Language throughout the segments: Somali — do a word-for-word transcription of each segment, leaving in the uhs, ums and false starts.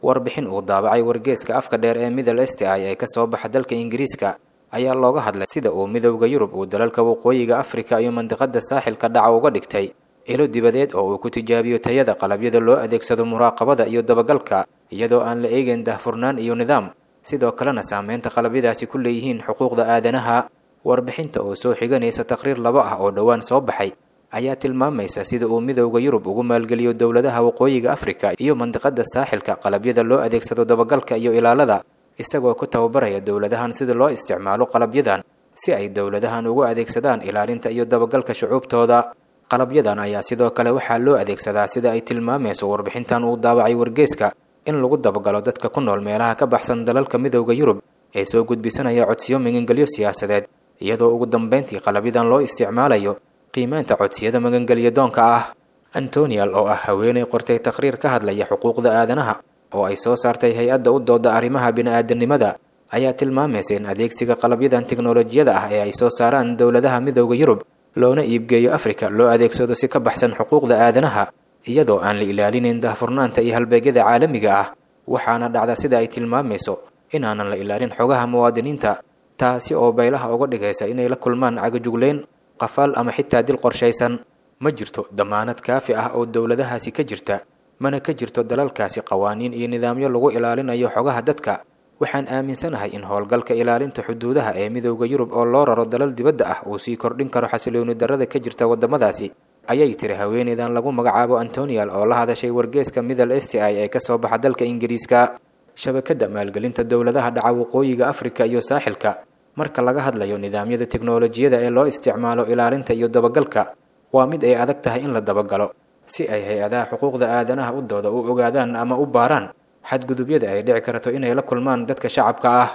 Warbixin uu daabacay wargeeska afka dheer ee Middle East Eye ee kasoo baxa dalka Ingiriiska ayaa looga hadlay sida uu Midowda Yurub uu dalalka waqooyiga Afrika iyo mandiqada saaxilka dhaca uga dhigtay ilo dibadeed oo uu ku tijaabiyo tayada qalabyada loo adeegsado muraaqabada iyo dabagalka, iyadoo aan la eegayn daahfurnaan iyo nidaam, sidoo kalena saameynta qalabyadaasi ku leeyihiin xuquuqda aadanaha. Warbixinta oo soo xiganaysa taqriir laba ah oo dhowaan soo baxay ayaa tilmaamaysa sida uu Midowda Yurub ugu maalgeliyo dowladaha waqooyiga Afrika iyo mandiqada saaxilka qalabyada loo adeegsado dabagalka iyo ilaalada, isagoo ku tababaraya dowladahan sida loo isticmaalo qalabyadan si ay dowladahan ugu adeegsadaan ilaalinta iyo dabagalka shucuubtooda. Qalabyadan ayaa sidoo kale waxaa loo adeegsadaa, sida ay tilmaamayso warbixintan uu daabacay wargeeska, in lagu dabagalo dadka ku nool meelaha ka baxsan dalalka Midowda Yurub ee soo gudbisanaya codsiyo magangelyo siyaasadeed, iyadoo ugu dambeyntii qalabyadan loo isticmaalayo qiimeynta codsiyada magangelyo doonka ah. Antonial oo ah haweeney qortay taqriir ka hadlaya xuquuqda aadanaha oo ay soo saartay hay-adda u dooda arrimaha bini'aadanimada ayaa tilmaamaysa in adeegsiga qalabyadan tiknolojiyada ah ee ay soo saaraan dowladaha Midowda Yurub loona iibgeeyo Afrika loo adeegsado si ka baxsan xuquuqda aadanaha, iyadoo aan la ilaalinayn daahfurnaanta iyo halbeegyada caalamiga ah. Waxaana dhacda, sida ay tilmaamayso, inaanan la ilaalin xogaha muwaadiniinta, taasi oo baylaha uga dhigaysa inay la kulmaan cagajugleyn, qafaal ama xitaa dil qorshaysan. Ma jirto damaanad kaafi ah oo dowladahaasi ka jirta, mana ka jirto dalalkaasi qawaaniin iyo nidaamyo lagu ilaalinayo xogaha dadka. Waxaan aaminsanahay in howlgalka ilaalinta xuduudaha ee Midowda Yurub oo loo raro dalal dibadda ah uu sii kordhin karo xasilooni darrada ka jirta waddamadaasi, ayay tiri haweeneydan lagu magacaabo Antonial oo la hadashay wargeeska Middle East Eye ee kasoo baxa dalka Ingiriiska. Shabakadda maalgelinta dowladaha dhaca waqooyiga Afrika iyo saaxilka, marka laga hadlayo nidaamyada tiknolojiyada ee loo isticmaalo ilaalinta iyo dabagalka, waa mid ay adag tahay in la dabagalo si ay hay-adaha xuquuqda aadanaha u dooda u ogaadaan ama u baaraan xadgudubyada ay dhici karto inay la kulmaan dadka shacabka ah.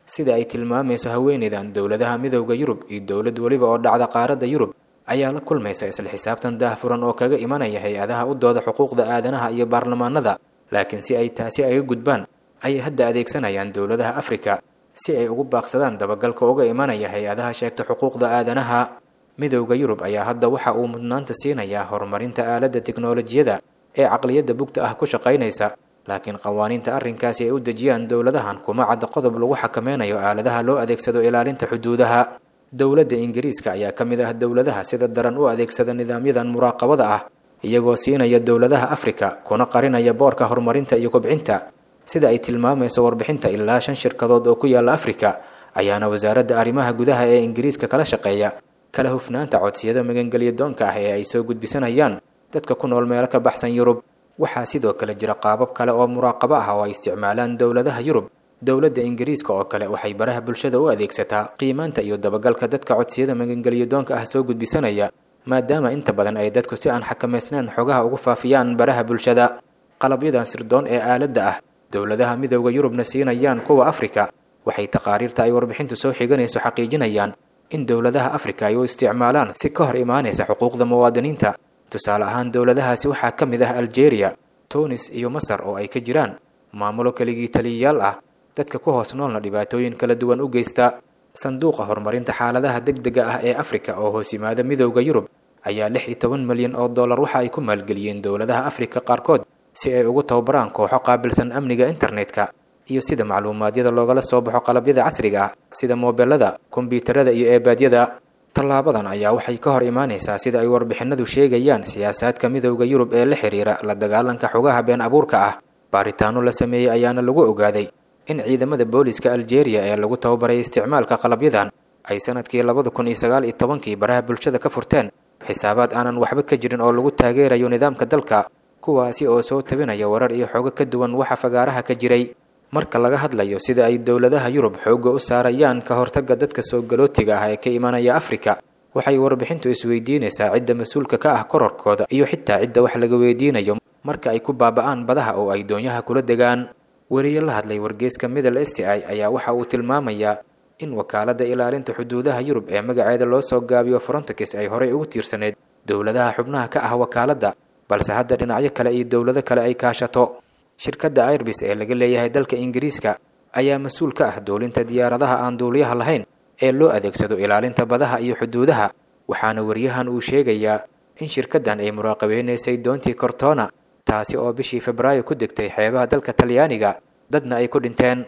Sida ay tilmaamayso haweeneydan, dowladaha Midowda Yurub iyo dowlad weliba oo dhacda qaaradda Yurub ayaa la kulmaysa isla xisaabtan daahfuran oo kaga imanaya hay-adaha u dooda xuquuqda aadanaha iyo baarlamaanada, laakiin si ay taasi aga gudbaan ayay hadda adeegsanayaan dowladaha Afrika si ay ugu baaqsadaan dabagalka uga imanaya hay-adaha sheegta xuquuqda aadanaha. Midowda Yurub ayaa hadda waxa uu mudnaanta siinayaa horumarinta aaladda tiknolojiyada ee caqliyadda bugta ah ku shaqaynaysa, laakiin qawaaniinta arrinkaasi ay u dejiyaan dowladahan kuma cadda qodob lagu xakameynayo aaladaha loo adeegsado ilaalinta xuduudaha. Dowladda Ingiriiska ayaa ka mid ah dowladaha sida daran u adeegsada nidaamyadan muraaqabada ah, iyagoo siinaya dowladaha Afrika kuna qarinaya boorka horumarinta iyo kobcinta. Sida ay tilmaamayso warbixinta, ilaa shan shirkadood oo ku yaala Afrika ayaana wasaaradda arrimaha gudaha ee Ingiriiska kala shaqeeya kala hufnaanta codsiyada magangelyo doonka ah ee ay soo gudbisanayaan dadka ku nool meelo ka baxsan Yurub. Waxaa sidoo kale jira qaabab kale oo muraaqabo ah oo ay isticmaalaan dowladaha Yurub. Dowladda Ingiriiska oo kale waxay baraha bulshada u adeegsataa qiimaanta iyo dabagalka dadka codsiyada magangelyo doonka ah soo gudbisanaya, maadaama inta badan ay dadku si aan xakamaysnayn xogaha ugu faafiyaan baraha bulshada. Qalabyadan sirdoon ee aaladda ah dowladaha Midowda Yurubna siinayaan kuwa Afrika, waxay taqaariirta ay warbixintu soo xiganayso xaqiijinayaan in dowladaha Afrika ay u isticmaalaan si ka hor imaanaysa xuquuqda muwaadiniinta. Tusaale ahaan, dowladahaasi waxaa ka mid ah Aljeeriya, Tunis iyo Masar oo ay ka jiraan maamulo keligii taliyayaal ah, dadka ku hoos noolna dhibaatooyin kala duwan u geysta. Sanduuqa horumarinta xaaladaha degdega ah ee Afrika oo hoos yimaada Midowda Yurub ayaa lix iyo toban milyan oo dollar waxa ay ku maalgeliyeen dowladaha Afrika qaarkood si ay ugu tababaraan kooxo qaabilsan amniga internetka iyo sida macluumaadyada loogala soo baxo qalabyada casriga ah sida moobelada, kombiyuutarada iyo eebaadyada. Tallaabadan ayaa waxay ka hor imaanaysaa, sida ay warbixinadu sheegayaan, siyaasaadka Midowda Yurub ee la xiriira la dagaalanka xogaha been abuurka ah. Baaritaano la sameeyey ayaana lagu ogaaday in ciidamada booliska Aljeeriya ee lagu tababaray isticmaalka qalabyadan ay sanadkii labada kun iyo sagaal iyo tobankii baraha bulshada ka furteen xisaabaad aanan waxba ka jirin oo lagu taageerayo nidaamka dalka, kuwaasi oo soo tabinaya warar iyo xogo ka duwan waxa fagaaraha ka jiray. Marka laga hadlayo sida ay dowladaha Yurub xoogga u saarayaan ka hortagga dadka soo galootiga ah ee ka imanaya Afrika, waxay warbixintu isweydiinaysaa cidda mas-uulka ka ah kororkooda iyo xitaa cidda wax laga weydiinayo marka ay ku baaba'aan badaha oo ay doonyaha kula degaan. Weriye la hadlay wargeeska Middle East Eye ayaa waxa uu tilmaamayaa in wakaaladda ilaalinta xuduudaha Yurub ee magaceeda loo soo gaabiyo Frontex ay horey ugu tiirsaneyd dowladaha xubnaha ka ah wakaaladda, balse hadda dhinacyo kale iyo dowlado kale ay kaashato. Shirkadda Airbus ee laga leeyahay dalka Ingiriiska ayaa mas-uul ka ah duulinta diyaaradaha aan duuliyaha lahayn ee loo adeegsado ilaalinta badaha iyo xuduudaha, waxaana weriyahan uu sheegayaa in shirkaddan ay muraaqabeynaysay doontii Cortona, taasi oo bishii Febraayo ku degtay xeebaha dalka Talyaaniga, dadna ay ku dhinteen.